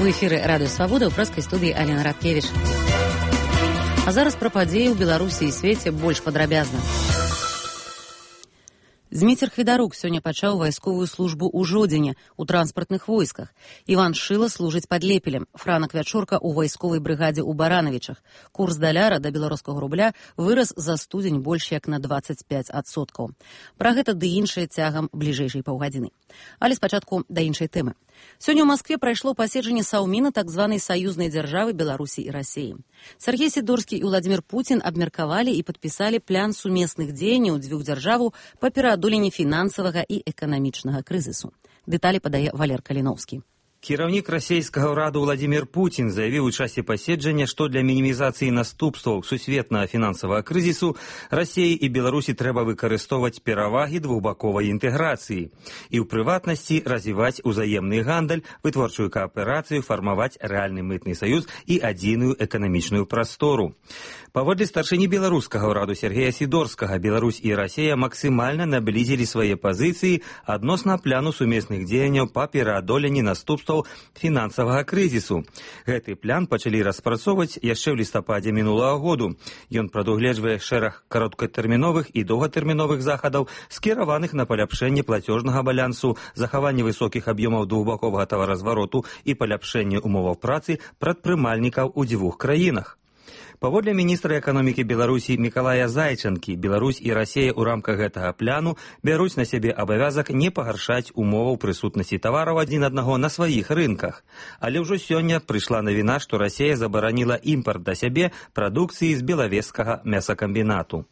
В эфіры Радыё Свабода ў прэскай студыі Алена Радкевіч. А зараз пра падзеі ў Беларусі і свеце больш падрабязна. Зміцер Хведарук сёння пачаў вайсковую службу ў Жодзіне ў транспартных войсках. Іван Шыла служыць пад Лепелем, Франак Вячорка ў вайсковай брыгадзе ў Баранавічах. Курс даляра да беларускага рубля вырас за студзень больш як на 25%. Пра гэта ды іншае цягам бліжэйшай паўгадзіны. Але спачатку да іншай тэмы. Сёння ў Маскве прайшло паседжанне Саўміна так званай саюзнай дзяржавы Беларусі і Расіі. Сергей Сідорскі і Владзімір Пуцін абмеркавалі і падпісалі план сумесных дзеянняў дзвюх дзяржаваў па пераадоленні фінансавага і эканамічнага крызісу. Дэталі падае Валер Каліноўскі. Кіраўнік расійскага ўраду Владзімір Пуцін заявіў у часе паседжання, што для мінімізацыі наступстваў сусветнага фінансавага крызісу Расіі і Беларусі трэба выкарыстоўваць перавагі двухбаковай інтэграцыі і ў прыватнасці развіваць узаемны гандаль, вытворчую кааперацыю, фармаваць рэальны мытны саюз і адзіную эканамічную прастору. Паводле старшыні беларускага ўраду Сергея Сідорскага, Беларусь і Расія максімальна наблізілі свае пазіцыі адносна пляну сумесных дзеянняў па пераадоленні наступстваў фінансавага крызісу. Гэты план пачалі распрацоўваць яшчэ ў лістападзе мінулага году. Ён прадугледжвае шэраг кароткатэрміновых і доўгатэрміновых захадаў, скіраваных на паляпшэнне плацёжнага балансу, захаванне высокіх аб'ёмаў двухбаковага таваразвароту і паляпшэнне умоваў працы прадпрымальнікаў у дзвюх краінах. Паводле міністра эканомікі Беларусі Мікалая Зайчанкі, Беларусь і Расія ў рамках гэтага пляну бяруць на сябе абавязак не пагаршаць умоваў прысутнасці тавараў адзін аднаго на сваіх рынках. Але ўжо сёння прыйшла навіна, што Расія забараніла імпарт да сябе прадукцыі з белавежскага мясакамбінату.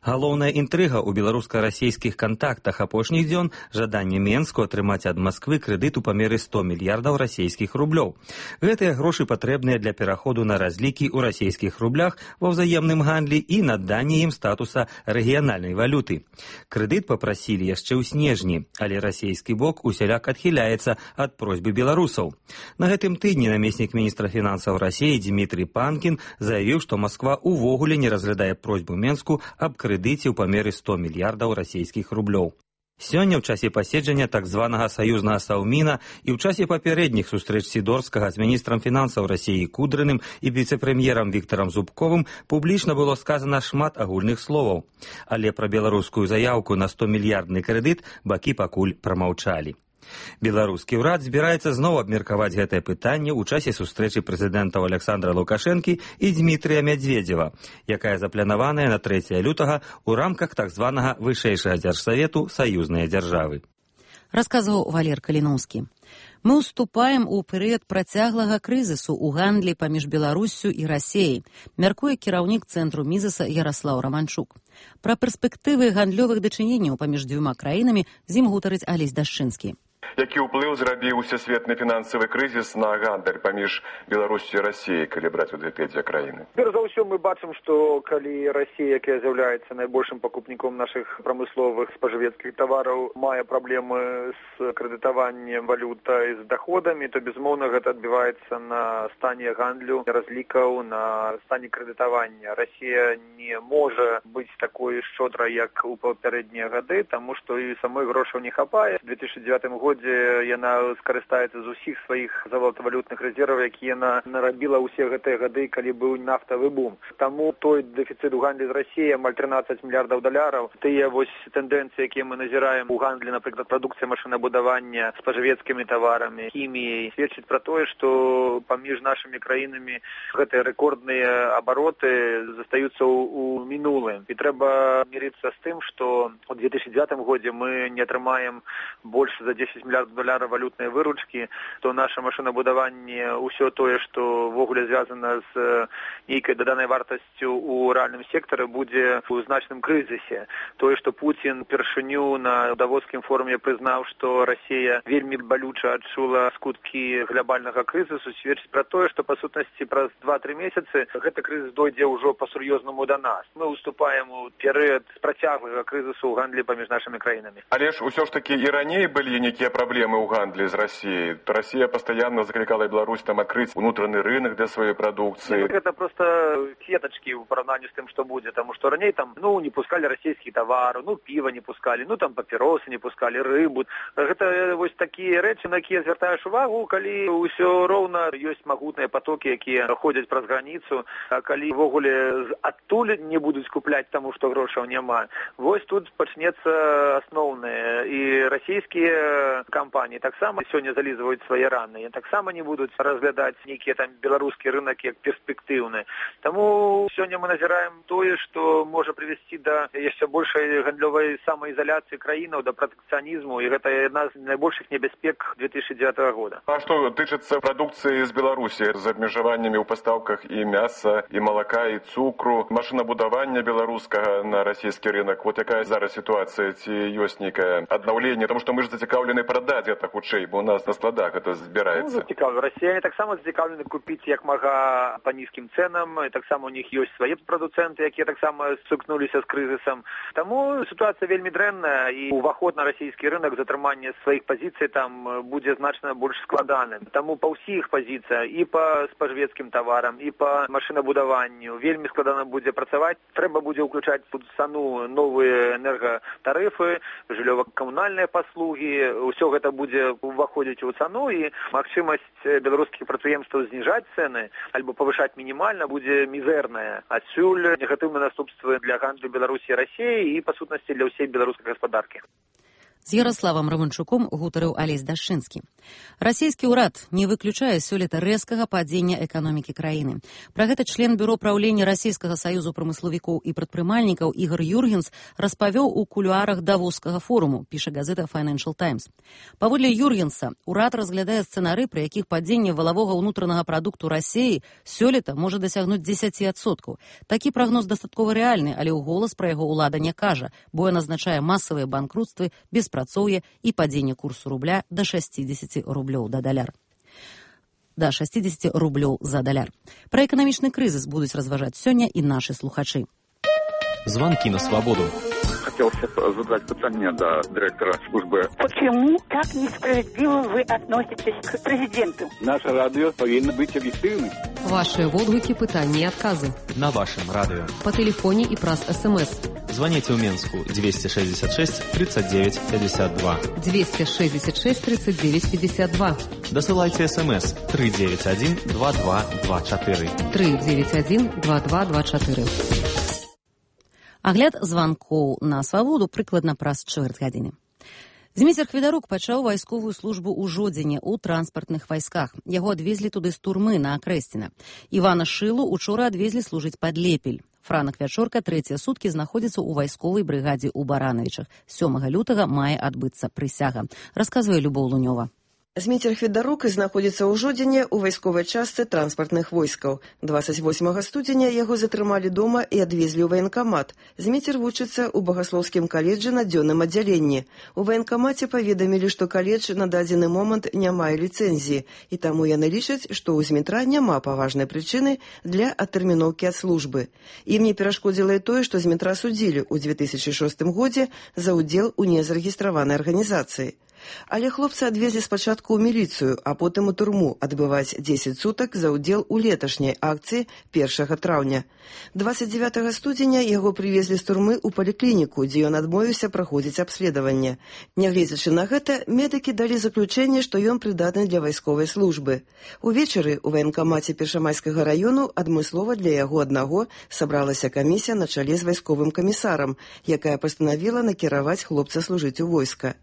Галоўная інтрыга ў беларуска-расійскіх кантактах апошніх дзён – жаданне Менску атрымаць ад Масквы крэдыт у памеры 100 мільярдаў расійскіх рублёў. Гэтыя грошы патрэбныя для пераходу на разлікі ў расійскіх рублях ва ўзаемным гандлі і наданне ім статуса рэгіянальнай валюты. Крэдыт папрасілі яшчэ ў снежні, але расійскі бок усяляк адхіляецца ад просьбы беларусаў. На гэтым тыдні намеснік міністра фінансаў Расіі Дмітрий Панкін заявіў, што Масква увогуле не разглядае просьбу Менску аб крэдыце ў памеры 100 мільярдаў расійскіх рублёў. Сёння ў часе паседжання так званага саюзнага Саўміна і ў часе папярэдніх сустрэч Сідорскага з міністрам фінансаў Расіі Кудрыным і віцэ-прэм'ерам Віктарам Зубковым публічна было сказана шмат агульных словаў. Але пра беларускую заяўку на 100-мільярдны крэдыт бакі пакуль прамаўчалі. Беларускі ўрад збіраецца зноў абмеркаваць гэтае пытанне ў часе сустрэчы прэзідэнтаў Александра Лукашэнкі і Дмітрыя Мядзведзева, якая запланаваная на 3 лютага ў рамках так званага вышэйшага дзяржсавету саюзныя дзяржавы. Расказваў Валер Каліноўскі. Мы ўступаем у перыяд працяглага крызісу ў гандлі паміж Беларуссю і Расіяй, мяркуе кіраўнік цэнтру Мізаса Яраслаў Раманчук. Пра перспектывы гандлёвых дачыненняў паміж дзвюма краінамі з ім гутарыць Алесь Дашчынскі. Які ўплыў зрабіў усесветны фінансавы крызіс на гандаль паміж Беларусю і Расіяй, калі браць у две краіны? Перш за ўсё мы бачым, што калі Расія, якая з'яўляецца найбольшым пакупніком нашых прамысловых спажывецкіх тавараў, мае праблемы з крэдытаваннем валютай з даходамі, то безумоўна гэта адбіваецца на стане гандлю, разлікаў, на стане крэдытавання. Расія не можа быць такой шчодрай, як у папярэднія гады, таму што і самой грошаў не хапае. У 2009 годзе яна скарыстаецца з усіх сваіх золатавалютных рэзерваў, якія яна нарабіла ўсе гэтыя гады, калі быў нафтавы бум. Таму той дэфіцыт у гандлі з Расіяй амаль 13 мільярдаў даляраў. Тыя вось тэндэнцыі, якія мы назіраем у гандлі, напрыклад, прадукцыя машынабудавання, спажывецкімі таварамі, хіміяй, сведчыць пра тое, што паміж нашымі краінамі гэтыя рэкордныя абароты застаюцца ў мінулым. І трэба мірыцца з тым, што ў 2009 годзе мы не атрымаем больш за 10 мільярдаў даляраў валютнай выручкі, то наша машынабудаванне, ўсё тое, што ввогуле звязана з нейкай даданай вартасцю ў рэальным сектары, будзе у значным крызісе. Тое, што Пуцін першыню на давоцкім форуме прызнаў, што Расія вельмі балюча адчула скуткі глобальнага крызісу, сведчыць пра тое, што па сутнасці праз 2-3 месяцы гэты крызіс дойдзе ўжо па-сур'ёзнаму да нас. Мы ўступаем у перыяд працяглага крызісу ў гандлі паміж нашымі краінамі. Але ж усё ж такі і раней былі нейкія праблемы проблемы ў гандлі з Россией. Россия постоянно закликала Беларусь там открыть внутренний рынок для своей продукции. Это просто сеточки в поравнании с тем, что будет. Потому что ранее там, не пускали российские товары, пиво не пускали, там папиросы не пускали, рыбу. Это вот такие речи, на которые звертаешь увагу, коли все ровно есть могутные потоки, которые ходят праз границу, а коли в огуле оттуль не будут скуплять тому, что грошей нема. Вот тут почнется основное. И российские компании так само сегодня зализывают свои раны. И так само не будут разглядать некие там белорусские рынки как перспективные. Тому сегодня мы назираем то, что может привести до еще большей гандлевой самоизоляции краины, до протекционизму. И это одна из наибольших небезпек 2009 года. А что тычется продукции из Беларуси с обмежеваниями в поставках и мяса, и молока, и цукру, машинобудования белорусского на российский рынок? Вот какая зараз ситуация, ці есть некое обновление, потому что мы же зацікавлены продать это худшей, бо у нас на складах это збирається. Россияне так само зацікавлені купить як мага по низким ценам, и так само у них есть свои продуценты, які так само стикнулися з кризисом. Тому ситуація вельми дрэнная, і уваход на российский рынок, затрымання своих позиций там буде значно больш складаным. Тому по всіх позиціях, і по споживецьким товарам, і по машинобудуванню, вельми складано буде працювати. Треба буде включати в цену нові енерготарифи, жильово-комунальні послуги. Усё гэта буде вваходити у цену, і магчимость белорусских прадпрыемстваў знижать цены альбо повышать минимально будет мизерная. Отсюль негативные наступства для гандлю Беларуси и России и, по сутности, для всей белорусской господарки. З Ярославам Романчуком гутарыў Алесь Дашчынскі. Расійскі ўрад не выключае сёлета рэзкага падзення эканомікі краіны. Пра гэта член бюро праўлення Расійскага саюзу прамысловікоў і прадпрымальнікаў Ігор Юргенс распавёў у кулуарах Давоскага форуму, піша газета Financial Times. Паводле Юргенса, ўрад разглядае сцэнары, пры якіх падзенне валавога ўнутранага прадукту Расіі сёлета можа дасягнуць 10%. Такі прагноз дастаткова рэальны, але ў голас пра яго ўлада не кажа, бо ён азначае масавыя банкрутствы, беспрацоўе і падзенне курсу рубля да 60 рублёў за даляр. Пра эканамічны крызіс будуць разважаць сёння і нашы слухачы. Звонки на свободу. Хотелось задать питание до директора службы. Почему так несправедливо вы относитесь к президенту? Наше радио повинно быть объективным. Ваши водгуки, пытания и отказы. На вашем радио. По телефоне и праз СМС. Звоните в Минску 266 39 52. 266 39 52. Досылайте СМС 391 2224. 391 2224. Агляд званкоў на свабоду прыкладна праз чвэрць гадзіны. Зміцер Хведарук пачаў вайсковую службу ў Жодзіне ў транспартных вайсках. Яго адвезлі туды з турмы на Акрэсціна. Івана Шылу учора адвезлі служыць пад Лепель. Франак Вячорка трэція суткі знаходзіцца ў вайсковай брыгадзе ў Баранавічах. 7 лютага мае адбыцца прысяга, расказвае Любоў Лунёва. Зміцер Хведарук знаходзіцца ў Жодзіне ў вайсковай частцы транспартных войскаў. 28 студзеня яго затрымалі дома і адвезлі ў ваенкамат. Зміцер вучыцца ў Багаслоўскім каледжы на дзённым аддзяленні. У ваенкамаце паведамілі, што каледж на дадзены момант не мае ліцэнзіі, і таму яны лічаць, што ў Змітра няма паважнай прычыны для адтэрміноўкі ад службы. Ім не перашкодзіла і тое, што Змітра судзілі ў 2006 годзе за ўдзел у незарэгістраванай арганізацыі. Але хлопца адвезлі спачатку ў міліцыю, а потым у турму адбываць 10 сутак за ўдзел у леташняй акцыі 1 траўня. 29 студзеня яго прывезлі з турмы ў паліклініку, дзе ён адмовіўся праходзіць абследаванне. Нягледзячы на гэта, медыкі далі заключэнне, што ён прыдатны для вайсковай службы. Увечары ў ваенкамаце Першамайскага раёну адмыслова для яго аднаго сабралася камісія на чале з вайсковым камісарам, якая пастанавіла накіраваць хлопца служыць у войска.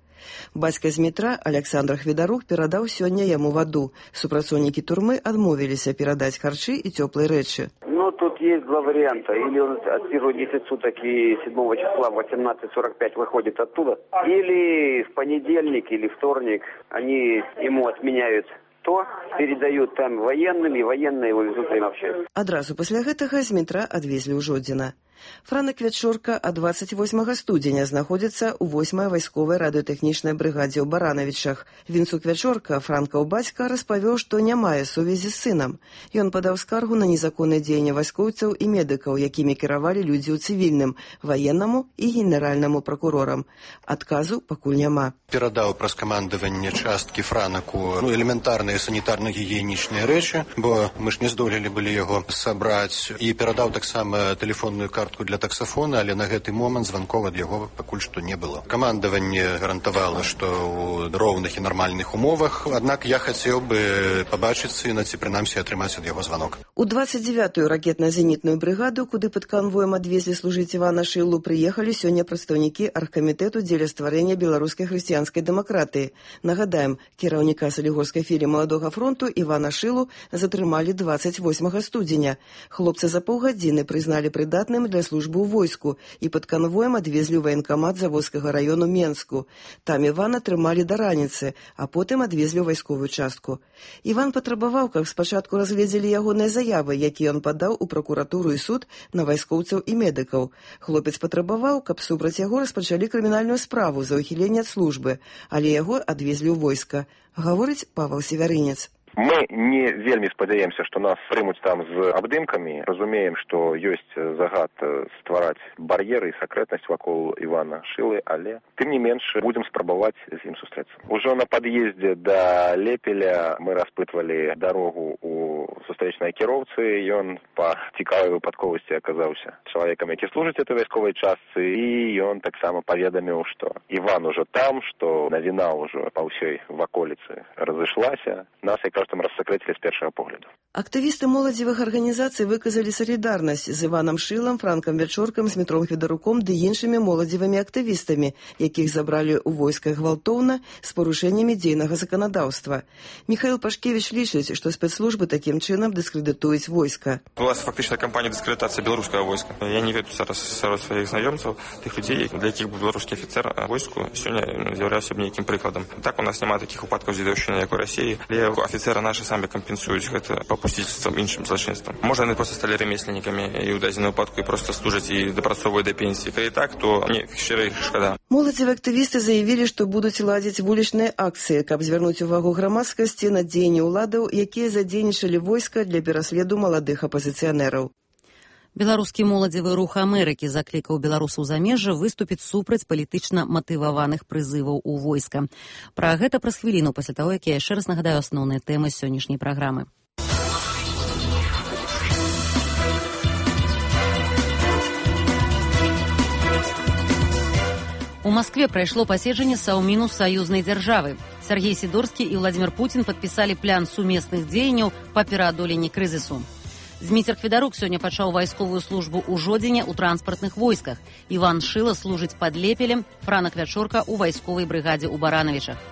Бацька Змітра, Александр Хведарук, перадаў сёння яму ваду. Супрацоўнікі турмы адмовіліся перадаць харчы і цёплыя рэчы. Тут есть два варианта. Или он отсиживает 10 суток и 7 числа в 18:45 выходит оттуда. Или в понедельник или вторник они ему отменяют авто, передают там военным, и военные его везут в общество. Адразу пасля гэтага з метра адвезлі ў Жодзіна. Франак Вячорка ад 28 студзеня знаходзіцца ў 8-й вайсковай радыётэхнічнай брыгадзе ў Баранавічах. Вінцук Вячорка, франкаў бацька, распавёў, што не мае сувязі з сынам. Ён падаў скаргу на незаконнае дзеянне вайскоўцаў і медыкаў, якімі кіравалі людзі ў цывільным, ваеннаму і генеральнаму пракурорам. Адказу пакуль няма. Перадаў праз камандаванне часткі франаку элементарныя санітарна-гігіенічныя рэчы, бо мы ж не здолелі былі яго сабраць, і перадаў таксама тэлефонную картку для таксафона, але на гэты момант званков ад яго пакуль што не было. Камандаванне гарантавала, што ў роўных і нармальных умовах, аднак я хацеў бы пабачыць сына, ці прынамсі атрымаць ад яго званок. У 29-ю ракетна-зенітную брыгаду, куды пад канвоем адвезлі служыць Івана Шылу, прыехалі сёння прадстаўнікі аргкамітэту дзеля стварэння беларускай хрысціянскай дэмакратыі. Нагадаем, кіраўніка Салігорскай філіі Маладога фронту Івана Шылу затрымалі 28 студзеня. Хлопца за паўгадзіны прызналі прыдатным для службы ў войску і пад канвоем адвезлі ў ваенкамат Заводскага раёну Менску. Там Івана трымалі да раніцы, а потым адвезлі ў вайсковую частку. Іван патрабаваў, каб спачатку разгледзелі ягоныя заявы, якія ён падаў у пракуратуру і суд на вайскоўцаў і медыкаў. Хлопец патрабаваў, каб супраць яго распачалі крымінальную справу за ўхіленне ад службы, але яго адвезлі ў войска, гаворыць Павел Северынец. Мы не вельмі спадзяемся, што нас прымуць там з абдымкамі. Разумеем, што ёсць загад ствараць бар'еры і сакрэтнасць вакол Івана Шылы, але тым не менш будзем спрабаваць з ім сустрэцца. Ужо на пад'ездзе да Лепеля мы распытвалі дарогу у сустрэчнай кіроўцы. Ён па цікавай выпадковасці аказаўся чалавекам, які служыць этой вайсковай частцы, і ён таксама паведаміў, што Іван ужо там, што навіна ўжо па ўсёй ваколіцы разышлася. Нас там рассакрэцілі з першага погляду. Актывісты моладзевых арганізацый выказалі салідарнасць з Іванам Шылам, Франкам Вячоркам, Змітром Федаруком ды іншымі моладзевымі актывістамі, якіх забралі ў войсках гвалтоўна з парушэннямі дзейнага заканадаўства. Михаил Пашкевич лічыць, што спецслужбы такім чынам дыскрэдытуюць войска. Была фактычная кампанія дыскрэдытацыі беларускага войска. Я не ведаю зараз сярод сваіх знаёмцаў тых людзей, для якіх беларускі афіцэр войску сёння з'яўляўся б нейкім прыкладам. Так у нас няма такіх выпадкаў дзедаўшчыны, як у Расіі, але афіцэры наши самі кампенсуюць гэта папусціцтвам іншым злачынствам. Можа, яны проста сталі рамесленнікамі і ў дадзеным выпадку і проста служаць і дапрацоўваюць да пенсіі. Калі так, то мне шчыра іх шкада. Моладзевыя актывісты заявілі, што будуць ладзіць вулічныя акцыі, каб звярнуць увагу грамадскасці на дзеянні ўладаў, якія задзейнічалі войска для пераследу маладых апазіцыянераў. Беларускі моладзевы рух Амерыкі заклікаў беларусаў замежжа выступіць супраць палітычна матываваных прызываў у войска. Пра гэта праз хвіліну пасля таго, як я яшчэ раз нагадаю асноўныя тэмы сённяшняй праграмы. У Москве прайшло паседжанне Саўміну саюзнай дзяржавы. Сергей Сидорскі і Владимир Путин падпісалі план сумесных дзеянняў па пераадоленні крызісу. Зміцер Федарук сёння пачаў вайсковую службу ў Жодзіне ў транспартных войсках. Іван Шыла служыць пад Лепелем, Франак Вячорка ў вайсковай брыгадзе ў Баранавічах.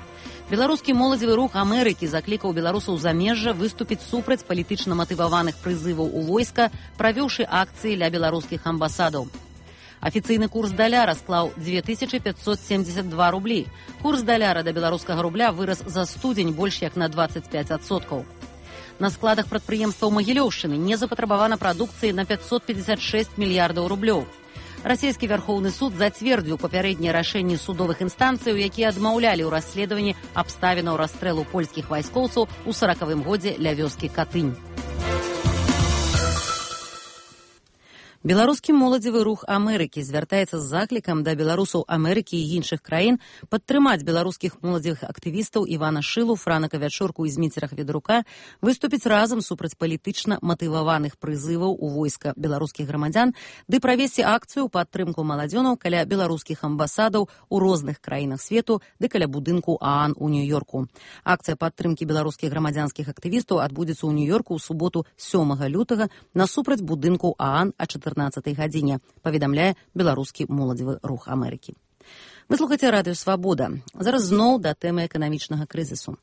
Беларускі моладзевы рух Амерыкі заклікаў беларусаў замежжа выступіць супраць палітычна матываваных прызываў у войска, правёўшы акцыі ля беларускіх амбасадаў. Афіцыйны курс даляра склаў 2572 рублі. Курс даляра да беларускага рубля вырас за студзень больш як на 25%. На складах прадпрыемстваў Магілёўшчыны не запатрабавана прадукцыі на 556 мільярдаў рублёў. Расійскі Вярхоўны суд зацвердзіў папярэднія рашэнні судовых інстанцыяў, якія адмаўлялі ў расследаванні абставінаў расстрэлу польскіх вайскоўцаў у 40-м годзе ля вёскі Катынь. Беларускі моладзевы рух Амерыкі звяртаецца з заклікам да беларусаў Амерыкі і іншых краін падтрымаць беларускіх моладзевых актывістаў Івана Шылу, Франака Вячорку і Зміцера Федарука выступіць разам супраць палітычна матываваных прызываў у войска беларускіх грамадзян ды правесці акцыю ў падтрымку маладзёнаў каля беларускіх амбасадаў у розных краінах свету ды каля будынку ААН у Нью-Йорку. Акцыя падтрымкі беларускіх грамадзянскіх актывістаў адбудзецца ў Нью-Йорку ў суботу 7 лютага насупраць будынку ААН а 14 гадзіне, паведамляе беларускі моладзевы рух Амерыкі. Вы слухаце радыё «Свабода». Зараз зноў да тэмы эканамічнага крызісу.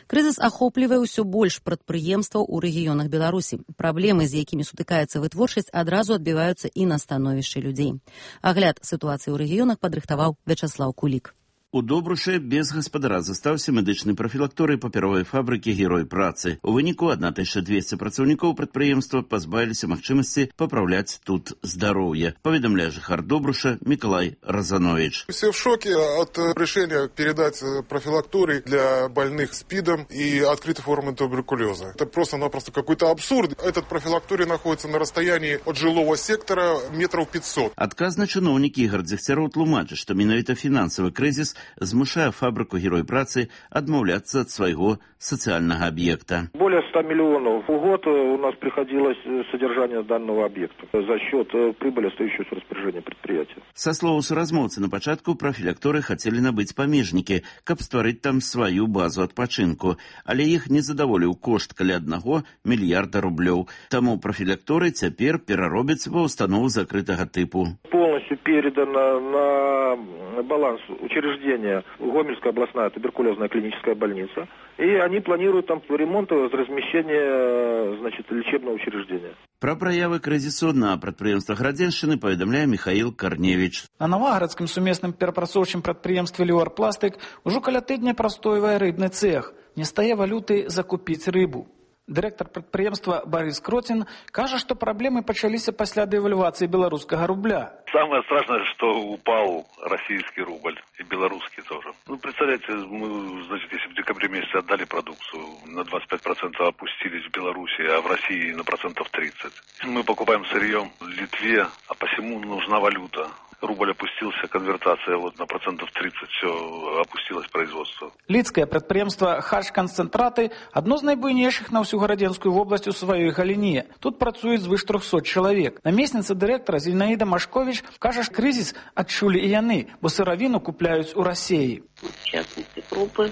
Крызіс ахоплівае ўсё больш прадпрыемстваў у рэгіёнах Беларусі. Праблемы, з якімі сутыкаецца вытворчасць, адразу адбіваюцца і на становішчы людзей. Агляд сітуацыі ў рэгіёнах падрыхтаваў Вячаслаў Кулік. У Добрушы без гаспадара застаўся медычны прафілакторый папяровай фабрыкі «Герой працы». У выніку 1200 працаўнікоў прадпрыемства пазбавіліся магчымасці папраўляць тут здароўе, паведамляе жыхар Добруша Миколай Розанович. Все в шоке от решения передать профилакторий для больных СПИДом и открытой формы туберкулеза. Это просто-напросто какой-то абсурд. Этот профилакторий находится на расстоянии от жилого сектора метров 500. Адказны чыноўнік Ігор Дзегцяроў тлумачыць, што менавіта фінансавы крызіс змушае фабрыку «Герой працы» адмаўляцца ад свайго социального объекта. Более 100 миллионов в год у нас приходилось содержание данного объекта за счет прибыли, остающейся в распоряжении предприятия. Со слова суразмоўцы, на пачатку профілакторы хацелі набыць памежнікі, каб стварыць там сваю базу адпачынку, але іх не задаволіў кошт каля 1 мільярда рублёў. Таму профілакторы цяпер пераробяць ва установу закрытага тыпу. Полностью передано на баланс учреждения Гомельская областная туберкулезная клиническая больница, и они планируют там ремонт и размещение, лечебного учреждения. Пра праявы крызісу на прадпрыемствах Радзеншчыны паведамляе Михаил Корневич. На Новагарадскім сумесным перапрацоўчым прадпрыемстве «Леорпластык» ужо каля тыдня прастойвае рыбны цех. Не стае валюты закупіць рыбу. Дырэктар прадпрыемства Борис Кротин кажа, што праблемы пачаліся пасля дэвальвацыі беларускага рубля. Самое страшное, что упал российский рубль и белорусский тоже. Представляете, мы, если в декабре месяце отдали продукцию, на 25% опустились в Беларуси, а в России на 30%. Мы покупаем сырье в Литве, а посему нужна валюта. Рубль опустился, конвертация на 30%, все опустилось производство. Лідскае прадпрыемства «Хач-канцэнтраты» адно з найбуйнейшых на ўсю гарадзенскую вобласць у сваёй галіне. Тут працуюць звыш 300 чалавек. Намесніца дырэктара Зінаіда Машкович кажа, што крызіс адчулі і яны, бо сыравіну купляюць у Расіі. В частности, крупы,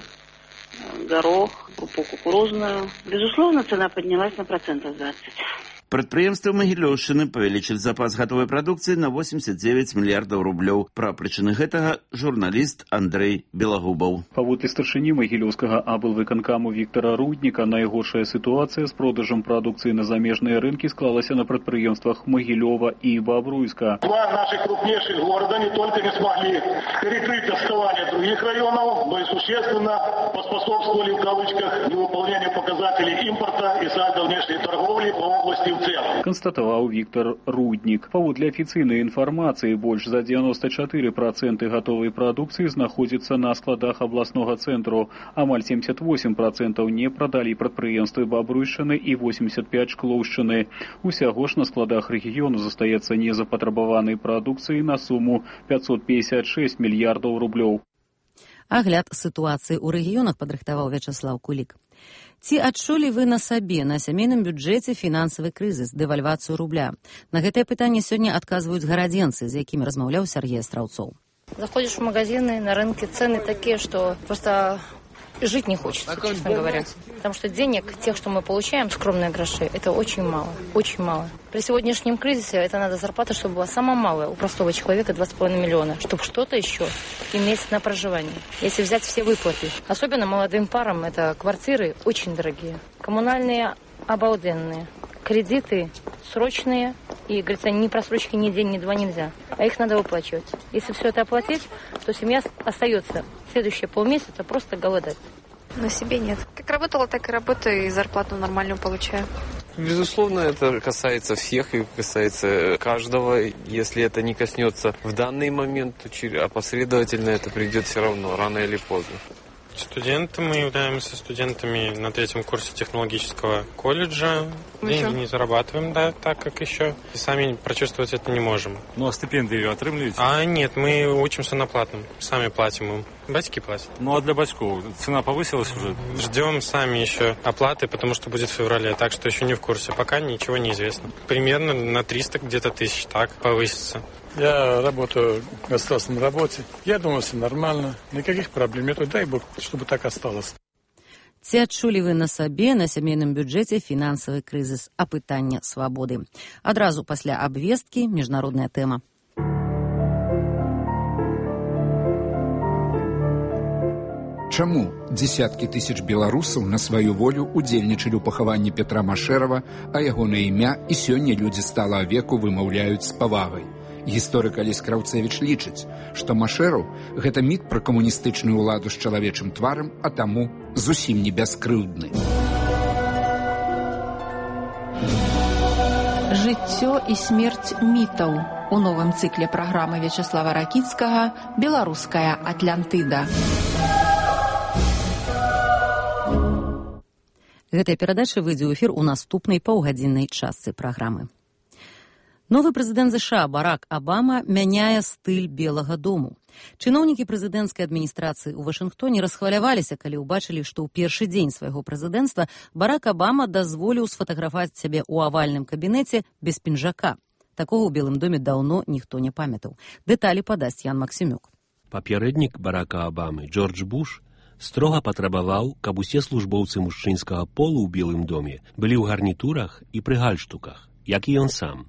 горох, крупу кукурузную. Безусловно, цена поднялась на 20%. Прадпрыемствы Магілёўшчыны павялічылі запас гатовай прадукцыі на 89 мільярдаў рублёў. Пра прычыны гэтага журналіст Андрей Белагубаў. Паводле старшыні Магілёўскага аблвыканкаму Віктора Рудніка, найгоршая сітуацыя з продажам прадукцыі на замежныя рынкі склалася на прадпрыемствах Магілёва і Бобруйска. Два наших крупнейших города не только не смогли перекрыть отставание других районов, но и существенно поспособствовали в кавычках невыполнению показателей импорта и сальдо внешней торговли по области констатаваў Віктор Руднік. Паводле афіцыйнай інфармацыі, больш за 94% гатовай прадукцыі знаходзіцца на складах абласнога цэнтру. Амаль 78% не прадалі прадпрыемствы Бабруйшчыны і 85 Шклоўшчыны. Усяго ж на складах рэгіёну застаецца незапатрабаванай прадукцыі на суму 556 мільярдаў рублёў. Агляд сітуацыі ў рэгіёнах падрыхтаваў Вячаслаў Кулік. Ці адчулі вы на сабе, на сямейным бюджэце фінансавы крызіс, дэвальвацыю рубля? На гэтае пытанне сёння адказваюць гарадзенцы, з якімі размаўляў Сергей Астраўцоў. Заходишь в магазины, на рынке цены такие, что просто жить не хочется, честно говоря. Потому что денег, тех, что мы получаем, скромные гроши, это очень мало, очень мало. При сегодняшнем кризисе это надо зарплата, чтобы была самая малая у простого человека 2,5 миллиона, чтобы что-то еще иметь на проживание. Если взять все выплаты, особенно молодым парам, это квартиры очень дорогие, коммунальные обалденные, кредиты срочные, и, говорится, ни просрочки ни день, ни два нельзя, а их надо выплачивать. Если все это оплатить, то семья остается следующие полмесяца просто голодать. На себе нет. Как работала, так и работаю, и зарплату нормальную получаю. Безусловно, это касается всех и касается каждого. Если это не коснется в данный момент, то опосредовательно это придет все равно, рано или поздно. Студенты, мы являемся студентами на 3-м курсе технологического колледжа. Деньги не зарабатываем, да, так как еще. И сами прочувствовать это не можем. Ну, а стипендии отрымливаете? Нет, мы учимся на платном. Сами платим им. Батьки платят. Ну, а для батьков цена повысилась уже? Ждем сами еще оплаты, потому что будет в феврале. Так что еще не в курсе. Пока ничего не известно. Примерно на 300 где-то тысяч, так, повысится. Я работаю в государственной работе. Я думаю, все нормально. Никаких проблем нет. Дай Бог, чтобы так осталось. Ці адчулі вы на сабе, на сямейным бюджэце фінансавы крызіс, апытання свабоды? Адразу пасля абвесткі міжнародная тэма. Чаму дзесяткі тысяч беларусаў на сваю волю удзельнічалі ў пахаванні Петра Машэрава, а ягонае імя і сёння людзі сталага веку вымаўляюць з павагай? Гісторык Алесь Краўцевіч лічыць, што Машэраў – гэта міт пра камуністычную ўладу з чалавечым тварам, а таму зусім не бяскрыўдны. Жыццё і смерць мітаў у новым цыкле праграмы Вячеслава Ракіцкага «Беларуская Атлантыда». Гэтая перадача выйдзе ў эфір у наступнай паўгадзіннай частцы праграмы. Новы прэзідэнт США Барак Абама мяняе стыль Белага дому. Чыноўнікі прэзідэнцкай адміністрацыі ў Вашынгтоне расхваляваліся, калі ўбачылі, што ў першы дзень свайго прэзідэнцтва Барак Абама дазволіў сфатаграфаваць сябе ў авальным кабінеце без пінжака. Такога ў Белым доме даўно ніхто не памятаў. Дэталі падасць Ян Максімюк. Папярэднік Барака Абамы, Джордж Буш, строга патрабаваў, каб усе службоўцы мужчынскага полу ў Белым доме былі ў гарнітурах і пры гальштуках, як і ён сам.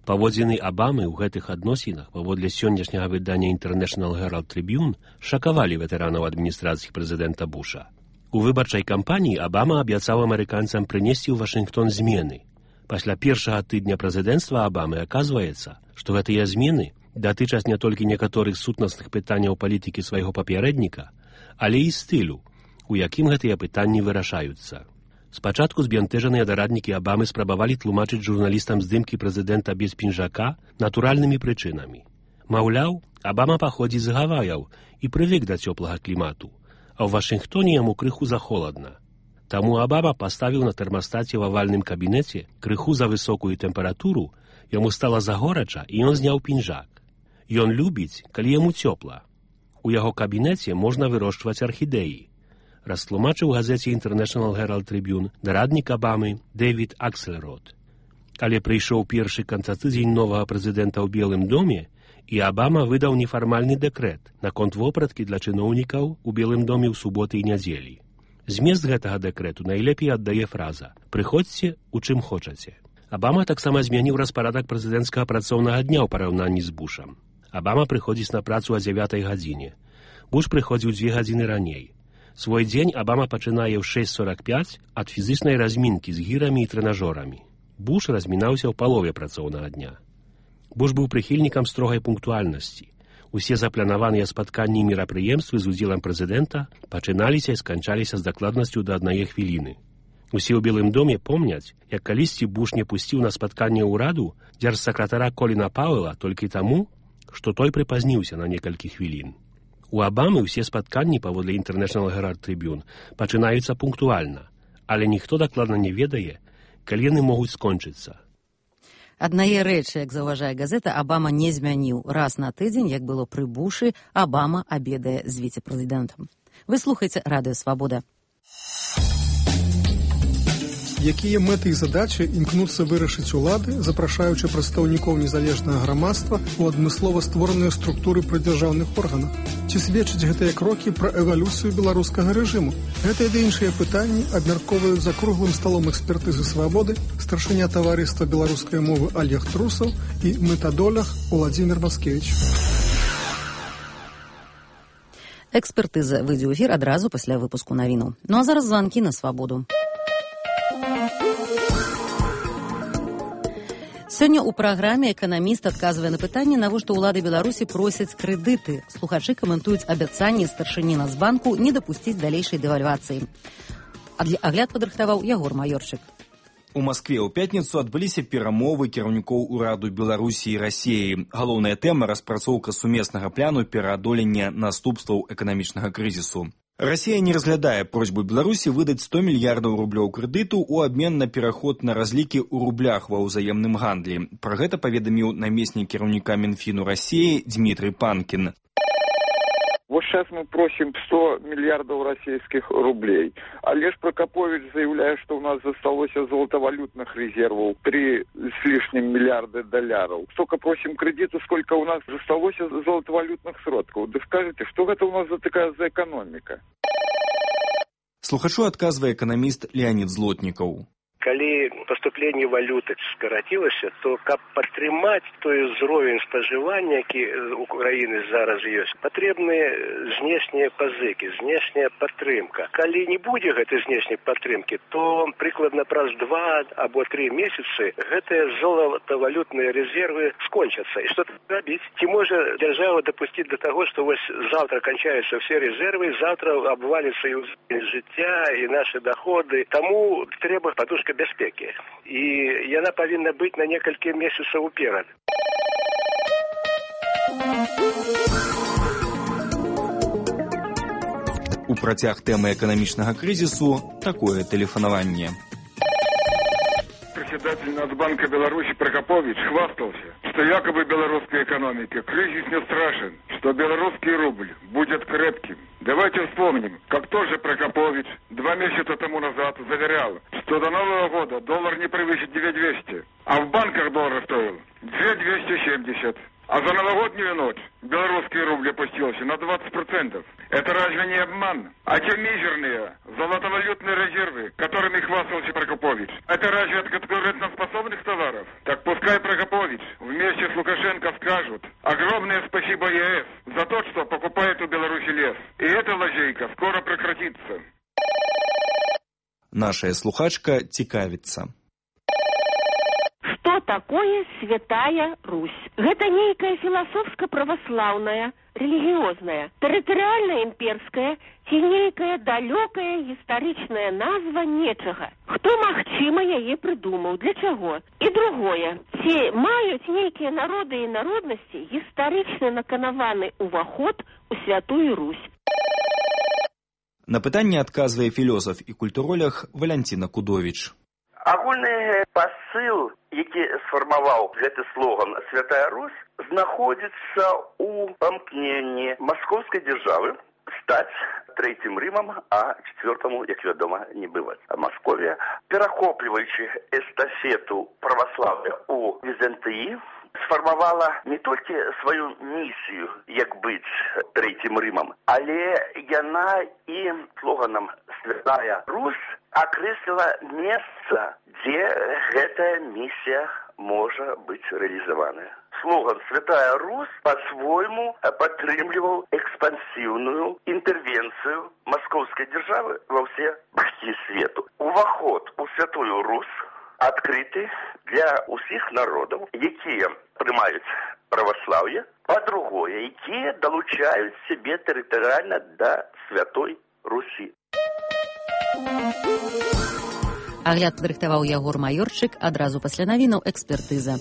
Паводзіны Абамы ў гэтых адносінах, паводле сённяшняга выдання International Herald Tribune, шакавалі ветэранаў адміністрацыі прэзідэнта Буша. У выбарчай кампаніі Абама абяцаў амерыканцам прынесці ў Вашынгтон змены. Пасля першага тыдня прэзідэнцтва Абамы аказваецца, што гэтыя змены датычаць не толькі некаторых сутнасных пытанняў палітыкі свайго папярэдніка, але і стылю, у якім гэтыя пытанні вырашаюцца. Спачатку збянтэжаныя дараднікі Абамы спрабавалі тлумачыць журналістам здымкі прэзідэнта без пінжака натуральнымі прычынамі. Маўляў, Абама паходзіць з Гаваяў і прывык да цёплага клімату, а ў Вашынгтоне яму крыху захоладна. Таму Абама паставіў на тэрмастаце ў авальным кабінеце крыху за высокую тэмпературу, яму стала загорача і ён зняў пінжак. Ён любіць, калі яму цёпла. У яго кабінеце можна вырошчваць архідэі. Растлумачыў газеце International Herald Tribune дараднік Абамы Дэвід Аксельрод. Але прыйшоў першы канцатыдзень новага прэзідэнта ў Белым доме, і Абама выдаў нефармальны дэкрэт наконт вопраткі для чыноўнікаў у Белым доме ў суботы і нядзелі. Змест гэтага дэкрэту найлепей аддае фраза «Прыходзьце, у чым хочаце». Абама таксама змяніў распарадак прэзідэнцкага працоўнага дня ў параўнанні з Бушам. Абама прыходзіць на працу о 9 гадзіне. Буш прыходзіў 2 гадзіны раней. Свой дзень Абама пачынае ў 6:45 ад фізічнай размінкі з гірамі і трэнажорамі. Буш размінаўся ў палове працоўнага дня. Буш быў прыхільнікам строгай пунктуальнасці. Усе запланаваныя спатканні і мерапрыемствы з удзелам прэзідэнта пачыналіся і сканчаліся з дакладнасцю да 1 хвіліны. Усе ў Белым доме помняць, як калісьці Буш не пусціў на спатканне ўраду дзяржсакратара Коліна Пауэла толькі таму, што той прыпазніўся на некалькі хвілін. У Абамы ўсе спатканні паводле International Herald Tribune пачынаюцца пунктуальна, але ніхто дакладна не ведае, калі яны могуць скончыцца. Аднае рэчы, як заўважае газета, Абама не змяніў. Раз на тыдзень, як было пры Бушы, Абама абедае з віцэ-прэзідэнтам. Вы слухаеце Радыё Свабода. Якія мэты і задачы імкнуцца вырашыць улады, запрашаючы прадстаўнікоў незалежнага грамадства ў адмыслова створаныя структуры прыдзяржаўных органах? Ці сведчаць гэтыя крокі пра эвалюцыю беларускага рэжыму? Гэтыя ды іншыя пытанні абмяркоўваюць за круглым сталом экспертызы свабоды старшыня таварыства беларускай мовы Олег Трусаў і метадолог Уладзімір Маскевіч. Экспертыза выйдзе ў эфір адразу пасля выпуску навінаў. Ну а зараз званкі на свабоду. Сёння ў праграме эканаміст адказвае на пытанне, навошта ўлады Беларусі просяць крэдыты. Слухачы каментуюць абяцанне старшыні Нацбанку не дапусціць далейшай дэвальвацыі. Агляд падрыхтаваў Ягор Маёрчык. У Маскве ў пятніцу адбыліся перамовы кіраўнікоў ураду Беларусі і Расіі. Галоўная тэма – распрацоўка сумеснага пляну пераадолення наступстваў эканамічнага крызісу. Расія не разглядае просьбу Беларусі выдаць 100 мільярдаў рублёў крэдыту ў абмен на пераход на разлікі ў рублях ва ўзаемным гандлі. Пра гэта паведаміў намеснік кіраўніка Мінфіну Расіі Дмітрый Панкін. Вот сейчас мы просим 100 миллиардов российских рублей. Олеж Прокопович заявляет, что у нас засталось золотовалютных резервов 3 с лишним миллиарда долларов. Столько просим кредиту, сколько у нас засталось золотовалютных сродков. Да скажите, что это у нас за такая за экономика? Слухачу адказвае эканаміст Леонид Злотнікаў. Калі поступление валюты скоротилось, то каб падтрымаць той узровень спажывання, які у Украины зараз ёсць, патрэбныя знешнія пазыкі, знешняя падтрымка. Калі не будзе гэтай знешняй падтрымкі, то прыкладна праз 2 або 3 месяцы гэтыя золатавалютныя резервы скончатся. І што рабіць? Ці можа дзяржава дапусціць до того, што вось завтра кончаются все резервы, завтра обвалится і жыцця, і наши доходы. Таму трэба подушка бяспекі. І яна павінна быць на некалькі месяцаў уперад. У працяг тэмы эканамічнага крызісу такое тэлефанаванне. Председатель Нацбанка Беларуси Прокопович хвастался, что якобы белорусской экономике кризис не страшен, что белорусский рубль будет крепким. Давайте вспомним, как тоже Прокопович 2 месяца тому назад заверял, что до Нового года доллар не превысит 9200, а в банках доллар стоил 2270. А за новогоднюю ночь белорусский рубль опустился на 20%. Это разве не обман? А те мизерные золотовалютные резервы, которыми хвастался Прокопович, это разве от конкурентоспособных товаров? Так пускай Прокопович вместе с Лукашенко скажут огромное спасибо ЕС за то, что покупает у Беларуси лес. И эта лазейка скоро прекратится. Наша слухачка цікавіцца. Что такое Святая Русь? Гэта нейкая філасофска-праваслаўная, рэлігіозная, тэрытарыяльна-імперская ці нейкая далёкая гістарычная назва нечага. Хто, магчыма, яе прыдумаў? Для чаго? І другое. Ці маюць нейкія народы і народнасці гістарычна наканаваны ўваход у Святую Русь? На пытанне адказвае філосаф і культуролог Валянціна Кудовіч. Агульны пасыл, які сфармаваў гэты слоган «Святая Русь», знаходзіцца ў памкненні маскоўскай дзяржавы стаць трэцім Рымам, а чвёртаму, як вядома, не бываць. Масковія, перахопліваючы эстафету праваслаўя ў Візантыі, сфармавала не толькі сваю місію, як быць трэцім Рымам, але яна і слоганам «Святая Русь» акрэсліла месца, дзе гэтая місія можа быць рэалізаваная. Слоган «Святая Русь» по-свойму падтрымліваў экспансіўную інтэрвенцыю маскоўскай дзяржавы ва ўсе бакі свету. Уваход у Святую Русь адкрыты для ўсіх народаў, якія прымаюць праваслаўе, па-другое, якія далучаюць сябе тэрытарыяльна да Святой Русі. Агляд падрыхтаваў Ягор Маёрчык, адразу пасля навінаў экспертыза.